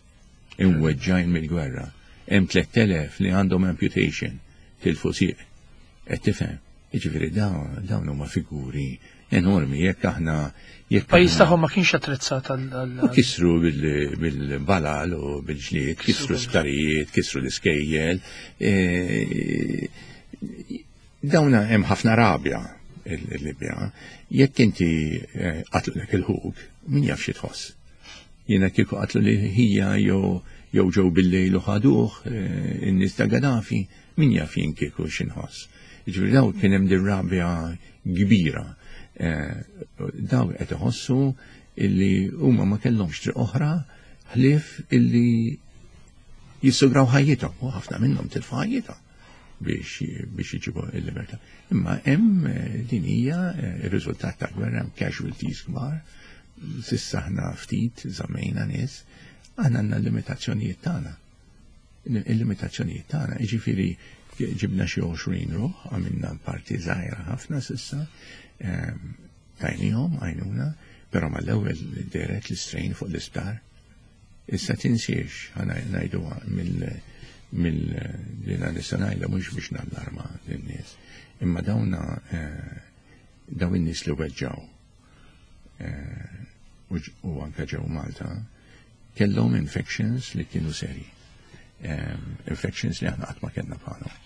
imweġġgħin mill-gwerra. Hemm 3,000 li għandhom amputation, tilfu sieq. Qed tifhem? Jiġifieri dawn huma figuri enormi jekk aħna jekk Pajjiż tagħhom ma kienx attrezzat għal. U kisru bil-balal u bil-ġlied, kisru sptarijiet, kisru l-iskejjel. E, dawna hemm ħafna rabja il-Libja. Jekk inti e, qatlulek il-ħuk, min jaf xi tħoss. Jiena kieku qatlu li ħija jew jew ġew bil-lejl u ħaduh e, in-nies ta' Gaddafi, Min jaf jien kieku x'inħoss. Jiġifieri daw kien hemm din rabja kbira. Eh, daw qed iħossu illi huma ma kellhomx triq oħra ħlief illi jissugraw ħajjithom u ħafna minnhom tilfu ħajjithom biex biex iġibu il-libertà. Imma hemm eh, din hija eh, ir-riżultat ta' gwerra hemm casualties kbar, sissa aħna ftit żammejna nies, aħna għandna limitazzjonijiet tagħna. il-limitazzjonijiet tagħna, jiġifieri ġibna xi 20 ruħ, għamilna parti żgħira ħafna s'issa, ehm, tajnihom għajnuna, però mal-ewwel deret l-istrain fuq l-isptar. Issa tinsiex, ħana ngħiduha mill mill li nista' ngħidha mhux biex nallarma lin-nies, imma dawna eh, dawn in-nies li weġġaw eh, u anke ġew Malta kellhom infections li kienu serji. Ehm, infections li aħna qatt ma kellna bħalhom.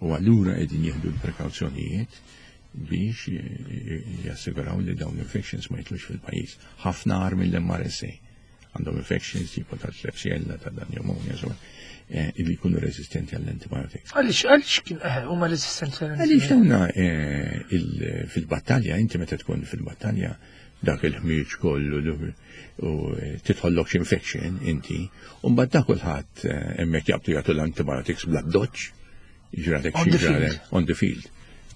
U allura qegħdin jieħdu l-prekawzjonijiet biex jassiguraw li dawn l-infections ma jitlux fil-pajjiż. Ħafna agħar mill-MRSA. Għandhom infections tipo ta' Klebsiella, ta' dan pneumonia, so, eh, illi jkunu resistenti għall-antibiotics. Għaliex, għaliex kien eh, huma resistenti għall-antibiotics? Għaliex dawna eh, fil-battalja, inti meta tkun fil-battalja, dak il-ħmieġ kollu u eh, titħollok infection inti, u mbagħad dak kulħadd eh, hemmhekk jaqbdu jagħtu l-antibiotics bla doċċ, ġralek xi ġralek on the field.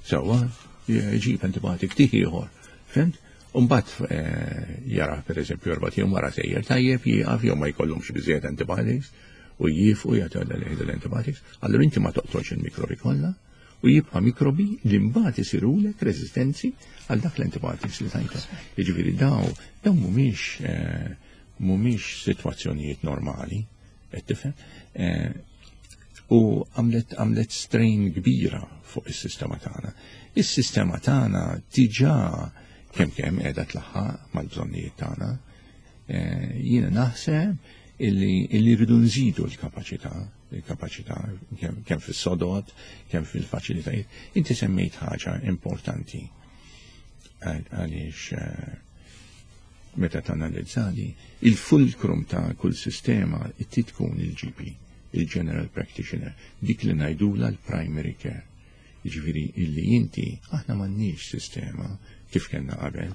Sewwa, ġib antibiotic tih ieħor. Fimt? Umbat eh, jara per eżempju erba' jiem wara sejjer tajjeb jieqaf jew ma jkollhomx biżejjed antibiotics u jiefu jagħtu l-antibiotics, allura inti ma toqtolx il-mikrobi kollha, u jibqa' mikrobi li mbagħad isirulek reżistenzi għal dak l-antibiotics li tajta. Jiġifieri daw daw mhumiex eh, mhumiex sitwazzjonijiet normali, qed tifhem? Eh, u għamlet għamlet strain kbira fuq is-sistema tagħna. Is-sistema tagħna diġà kemm kemm qiegħda tlaħħaq mal-bżonnijiet tagħna. Eh, jiena naħseb illi illi rridu nżidu l-kapaċità, il-kapaċità kemm fis-sodod, kemm fil-faċilitajiet. Inti semmejt ħaġa importanti. Għaliex eh, meta tanalizzali, il-fulcrum ta' kull sistema trid tkun il-GP, il-General Practitioner, dik li ngħidula l-primary care. Jiġifieri illi inti aħna m'għandniex sistema kif kellna qabel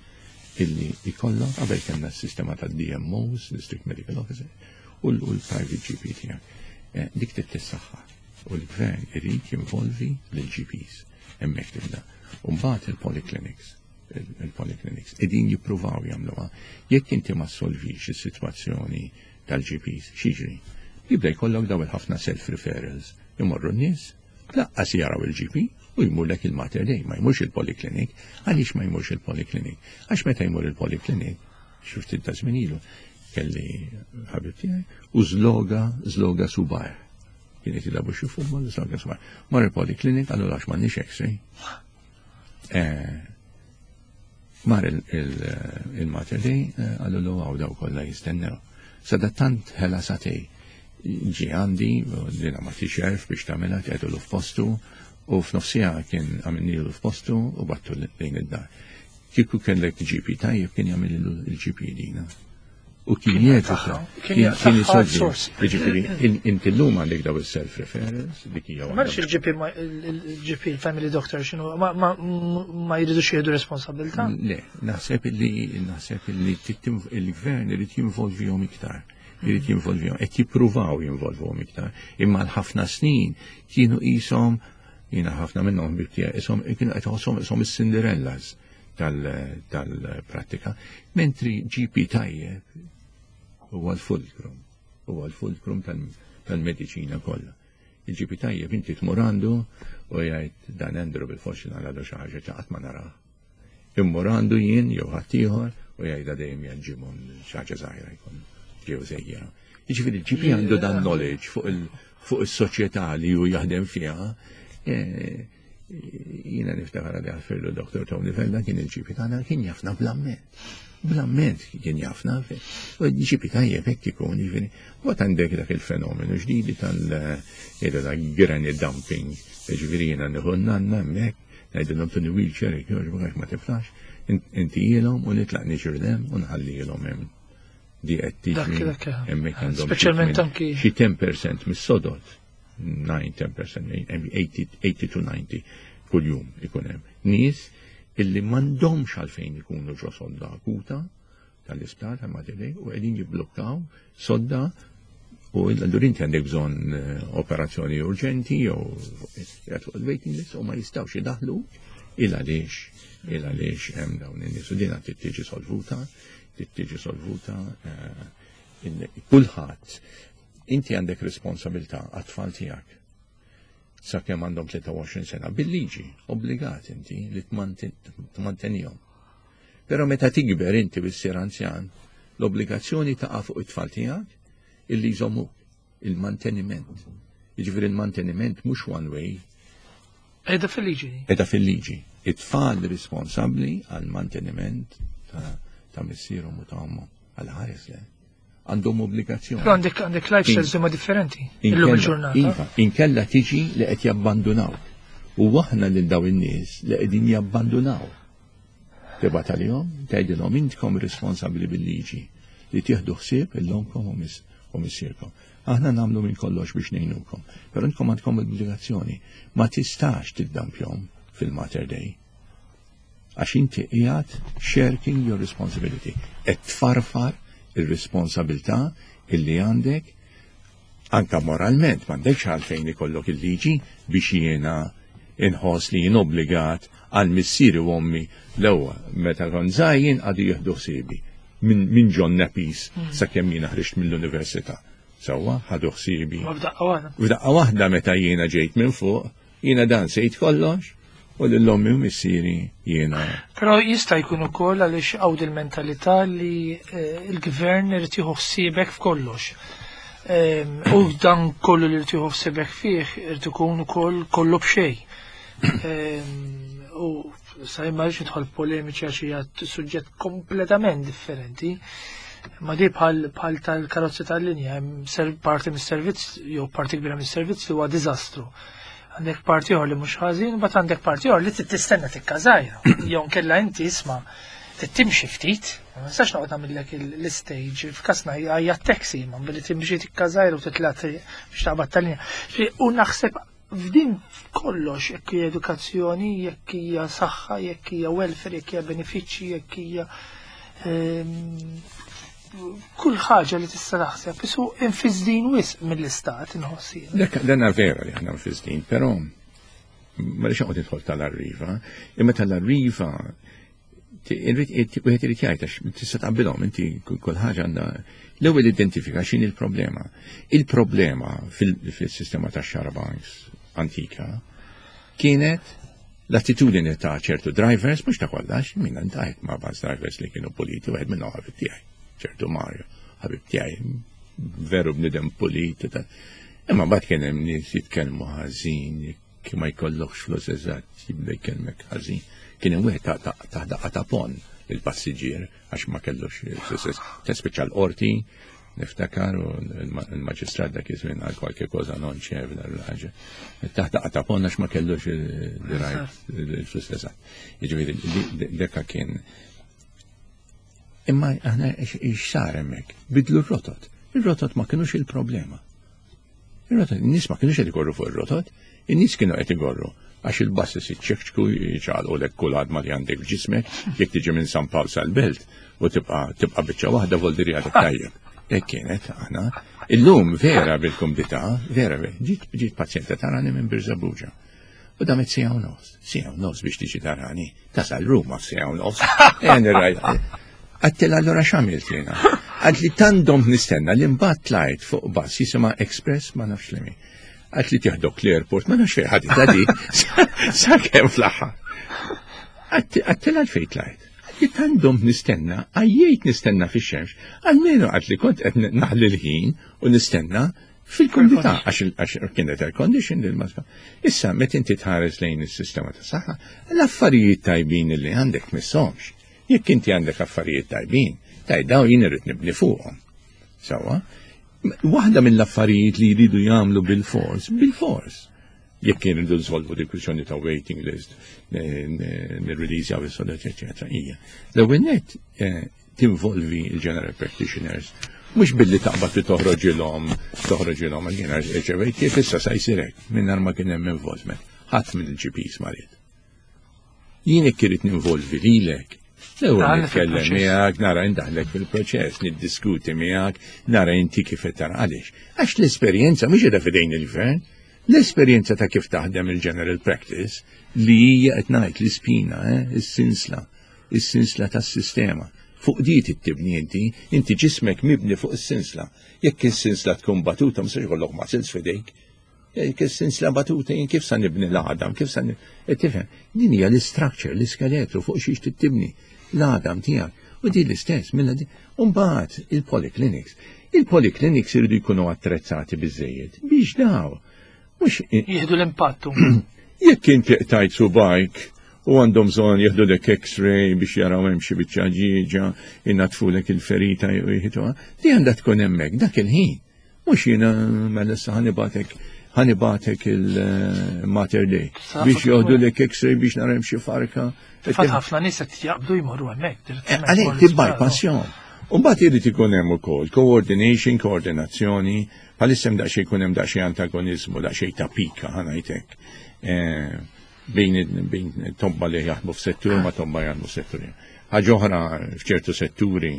illi ikollok qabel kellna s-sistema ta' DMOs, District Medical Officer, u l-private GP tiegħek. Eh, dik trid tissaħħa u l-gvern irid jinvolvi lill-GPs hemmhekk tibda. U mbagħad il-polyclinics il-polyclinics qegħdin jippruvaw jagħmluha. Jekk inti ma solvix is-sitwazzjoni tal-GPs, x'jiġri? Jibda jkollok daw il-ħafna self-referrals. Imorru n-nies, lanqas jaraw il-GP u jmurlek il-Mater Dei, ma jmurx il-polyclinic. Għaliex ma jmurx il-polyclinic? Għax meta jmur il-polyclinic, xi ftit ta' żmien ilu, kelli ħabib tiegħi u żloga, żloga subajh. Kien qed jilagħbu xi futbol, żloga subajh. Mar il-polyclinic, qallu għax m'għandniex x-ray. Eh, mar il-Mater Dei, eh, qallu l għaw daw kollha jistennew. Sadattant ħela sagħtejn. Ġi għandi, dina ma tixerf biex tagħmilha tqegħdu f'postu u f'nofsija kien għamilnilu f'postu u bgħattu lejn id-dar. Kieku kellek GP tajjeb kien jagħmel il-GP dina. U kien jeduka, kien jisolvi. Jiġifieri, inti llum għandek daw il-self-referrals, dik hija Ma il-GP, il-GP, il-family doctor, xinu, ma jridux jieħdu responsabilità? Le, naħseb li naħseb li il-gvern irid jinvolvihom iktar. Irid jinvolvihom, qed jippruvaw jinvolvuhom iktar. Imma l-ħafna snin kienu qishom, jiena ħafna minnhom ħbieb tiegħi, qishom kienu qed iħosshom qishom is-Cinderellas tal-prattika, mentri GP tajjeb huwa l-fulcrum, huwa l-fulcrum tal-mediċina kollha. Il-GP tajjeb inti tmur għandu u jgħid dan Andrew bil-forsi nagħmlu xi ħaġa ta' qatt ma narah. Immur għandu jien jew ħaddieħor u jgħidha dejjem jaġġibhom xi ħaġa żgħira jkun ġew żejjera. Jiġifieri il-GP għandu dan knowledge fuq is-soċjetà li hu jaħdem fiha. Eh, jiena niftakar għalli għalfirlu Dr. Tony Vella kien il-GP tagħna kien jafna bl-amment. Bl-amment kien jafna. U l-GP tajjeb hekk ikun, jiġifieri, waqt għandek dak il-fenomenu ġdidi tal granny dumping. Jiġifieri jiena nieħu nanna hemmhekk, ngħidilhom tuni wheelchair jekk jogħġbok għax ma tiflax, inti ilhom u nitlaq niġri hemm u nħallilhom hemm. Di qed tiġri hemmhekk għandhom Speċjalment anki xi 10% mis-sodod. 9-10%, 80 to 90 kull-jum ikun hemm. Nies illi m'għandhomx għalfejn ikunu ġo sodda akuta tal-isptar ta' Mater Dei u qegħdin jibblokkaw sodda u allura inti għandek bżonn eh, operazzjoni urġenti jew fuq il-waiting list u ma jistgħux idaħlu il għaliex il għaliex hemm dawn in-nies u din trid tiġi solvuta, trid tiġi solvuta eh, kulħadd inti għandek responsabilità għat-tfal tiegħek sakemm għandhom 23 sena bil-liġi, obbligat inti li tmantenihom. Però meta tikber inti bissir anzjan, l-obbligazzjoni taqa' fuq it-tfal tiegħek illi jżommuk il-manteniment. Jiġifieri il-manteniment mhux one way. Qiegħda fil-liġi. Qiegħda fil-liġi. It-tfal responsabbli għal manteniment ta' missierhom u ta' ommhom. Għal ħares le għandhom obbligazzjoni. Però għandek għandek lifestyles huma differenti illum il-ġurnata. Iva, inkella tiġi li qed jabbandunaw. U aħna lil daw in-nies li qegħdin jabbandunaw. Tibgħat għalihom, tgħidilhom intkom responsabbli bil-liġi li tieħdu ħsieb il-omkom u missierkom. Aħna nagħmlu minn kollox biex ngħinukom, però intkom għandkom l-obbligazzjoni ma tistax tiddampjom fil-Mater Dei. Għax inti qiegħed shirking your responsibility. Qed tfarfar ir-responsabilità illi għandek anka moralment m'għandekx għalfejn ikollok il-liġi biex jiena inħoss li jien obbligat għal missieri u ommi l-ewwel meta kont żgħir għadu jieħdu ħsiebi minn John Nappies sakemm jiena ħriġt mill-università. Sewwa ħadu ħsiebi. F'daqqa waħda. F'daqqa waħda meta jiena ġejt minn fuq, jiena dan sejt kollox u lil ommi u missieri jiena. Però jista' jkun ukoll għaliex hawn il-mentalità li eh, il-gvern irid jieħu ħsiebek f'kollox. U dan kollu li irid jieħu ħsiebek fih irid ikun ukoll kollu b'xejn. U sa ma rridx nidħol polemiċi għax hija suġġett kompletament differenti. Ma di bħal bħal tal-karozzi tal-linja, hemm parti mis-servizz jew parti kbira mis-servizz li huwa diżastru. Għandek parti oħra li mhux ħażin, mbagħad għandek parti oħra li trid tistenna tikka żgħira. Jew nkella inti isma' trid timxi ftit, ma nistax noqgħod nagħmillek l-istage f'kasna hija taxi ma billi timxi tikka żgħira u titla' biex taqbad tal-linja. U naħseb f'din kollox jekk hija edukazzjoni, jekk hija saħħa, jekk hija welfare, jekk hija benefiċċji, jekk hija kull ħaġa li tista' taħseb isu infiżdin wisq mill-istat inħoss jien. Dak dan vera li aħna nfiżdin, però ma rridx noqgħod nidħol tal-arriva, imma tal-arriva wieħed irid jgħid għax tista' tqabbilhom inti kull ħaġa għandha l-ewwel identifika x'inhi l-problema. Il-problema fil-sistema tax-xarabanks antika kienet l-attitudini ta' ċertu drivers, mhux ta' kollha, min intajt ma' bus drivers li kienu puliti, wieħed minnhom ħabib tiegħi, ċertu Mario, ħabib tiegħi, veru bnidem pulit. Imma mbagħad kien hemm nies jitkellmu ħażin, jekk ma jkollokx flus eżatt jibda jkellmek ħażin. Kien hemm wieħed ta' daqqa ta' pon il-passiġġier għax ma kellux flus tispiċċa l-qorti, niftakar u l-maġistrat dak iż-żmien għal qualche cosa non c'è l-ħaġa. Taħt daqqa ta' pon għax ma kellux il-right il-flus eżatt. Jiġifieri dekka kien. Imma aħna x'sar hemmhekk? Bidlu r-rotot. Ir-rotot ma kinux il-problema. Ir-rotot, in-nies ma kinux qed igorru fuq ir-rotot, in-nies kienu qed igorru għax il-buses iċċekċku jċaqalqu lek kull għadma li għandek f'ġismek, jekk tiġi minn San Pawl sal-Belt u tibqa' tibqa' biċċa waħda voldiri għadek tajjeb. Hekk kienet aħna. Illum vera bil-kumdità, vera ġiet ġiet pazjenta tarani minn Birżabuġa. U damet siegħa u nofs, siegħa u nofs biex tiġi tarani, tasal Ruma f'siegħa u nofs. Għattilha allura x'għamilt jiena? Għad li tandom nistenna li mbagħad tlajt fuq bus jisimha Express ma nafx li min. Għad li tieħdok l-airport ma nafx fejn ħaditha di. Sakemm fl-aħħar. Għattilha l-fejn tlajt. Għad li tandom nistenna, għajjejt nistenna fix-xemx, almenu għad li kont qed naħli l-ħin u nistenna fil-kumdità għax kienet air condition il-maska. Issa meta inti tħares lejn is-sistema ta' saħħa, l-affarijiet tajbin li għandek tmissomx. Jekk inti għandek affarijiet tajbin, taj daw jien irrid nibni fuqhom. Sawa? Waħda mill-affarijiet li jridu jagħmlu bil-fors, bil-fors. Jekk jridu nsolvu di kwistjoni ta' waiting list, nirreleasjaw is-sodet, eċetera, hija. L-ewwel nett eh, tinvolvi il-general practitioners mhux billi taqbad li toħroġilhom, toħroġilhom għal jiena rċevejt kif issa sa jsir hekk mingħajr ma kien hemm involvement. Ħadd mill-GPs ma ried. Jien jekk irid ninvolvi lilek, l-ewwel nitkellem miegħek, nara indaħlek fil-proċess, niddiskuti miegħek, nara inti kif qed tara għaliex. Għax l-esperjenza mhix qiegħda f'idejn il-gvern, l-esperjenza ta' kif taħdem il-general practice li hija qed ngħid l-ispina, eh, is-sinsla, is-sinsla tas-sistema. Fuq di tibni inti, inti ġismek mibni fuq is-sinsla. Jekk is-sinsla tkun batuta, ma se jkollok muscles f'idejk. Jekk is-sinsla batuta jien kif sa nibni l-għadam, kif sa tifhem, din hija l-istructure, l-iskeletru fuq xiex tibni l-għadam tiegħek. U din l-istess minna di. Umbagħad il-polyclinics. Il-polyclinics iridu jkunu attrezzati biżejjed biex daw. Mhux jieħdu l-impattu. Jekk inti qtajt subajk u għandhom bżonn jieħdu lek x-ray biex jaraw hemm xi biċċa ġieġa, inaddfulek il-ferita jew jieħduha, di għandha tkun hemmhekk dak il-ħin. Mhux jiena mela issa ħa nibagħtek il-Mater Dei biex joħdu lek x-ray biex nara hemm xi farka. Fatt ħafna nies qed jaqbdu jmorru hemmhekk. Eh, għalhekk tibbypassjahom. U mbagħad irid ikun hemm ukoll coordination, koordinazzjoni, bħalissa hemm daqsxejn jkun hemm daqsxejn antagonizmu, daqsxejn ta' pika ħa ngħidlek. Eh, bejn tobba li jaħdmu f'settur ma tobba jaħdmu f'settur. Ħaġa oħra f'ċertu setturi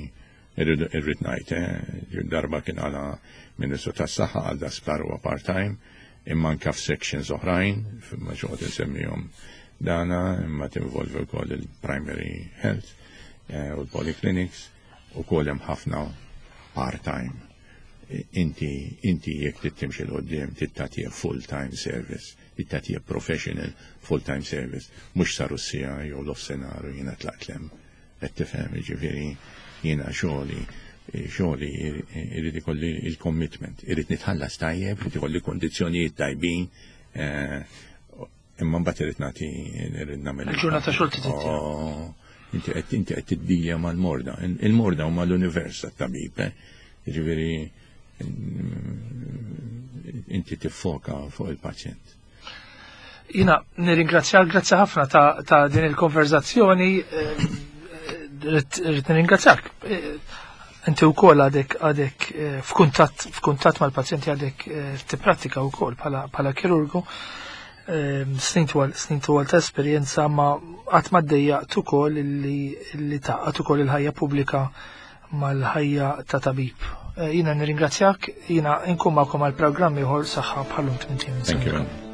irrid ngħid, eh, darba kien għala Ministru tas-Saħħa għal da sptar huwa part-time, imma anke f'sections oħrajn, ma xogħod insemmihom dana, imma tinvolvi wkoll il-primary health eh, u l-polyclinics u kol hemm ħafna part-time. Inti inti jekk trid timxi 'l quddiem trid tagħtiha full-time service, trid tagħtiha professional full-time service, mhux saru siegħa jew nofsinhar u jiena tlaqt lem. Qed tifhem, jiġifieri jiena xogħli xogħli irid ikolli il-commitment, irid nitħallas tajjeb, irid ikolli kondizzjonijiet tajbin, eh, imma mbagħad irid nagħti irid nagħmel. Il-ġurnata xogħol trid oh, Inti qed inti qed tiddija mal-morda. Il-morda huma l-univers tat-tabib, eh? Jiġifieri inti tiffoka fuq il-pazjent. Jina nirringrazzjak, grazzi ħafna ta' din il-konverzazzjoni, eh, rrid nirringrazzjak. Eh, inti wkoll għadek għadek eh, f'kuntatt f'kuntatt mal-pazjenti għadek tipprattika wkoll bħala kirurgu. Snin twal snin twal ta' esperjenza ma qatt ma ddejjaqt ukoll li taqgħad ukoll il-ħajja pubblika mal-ħajja ta' tabib. Jiena nirringrazzjak, jiena nkun magħkom għal programm ieħor saħħa bħalum tmien. Thank you.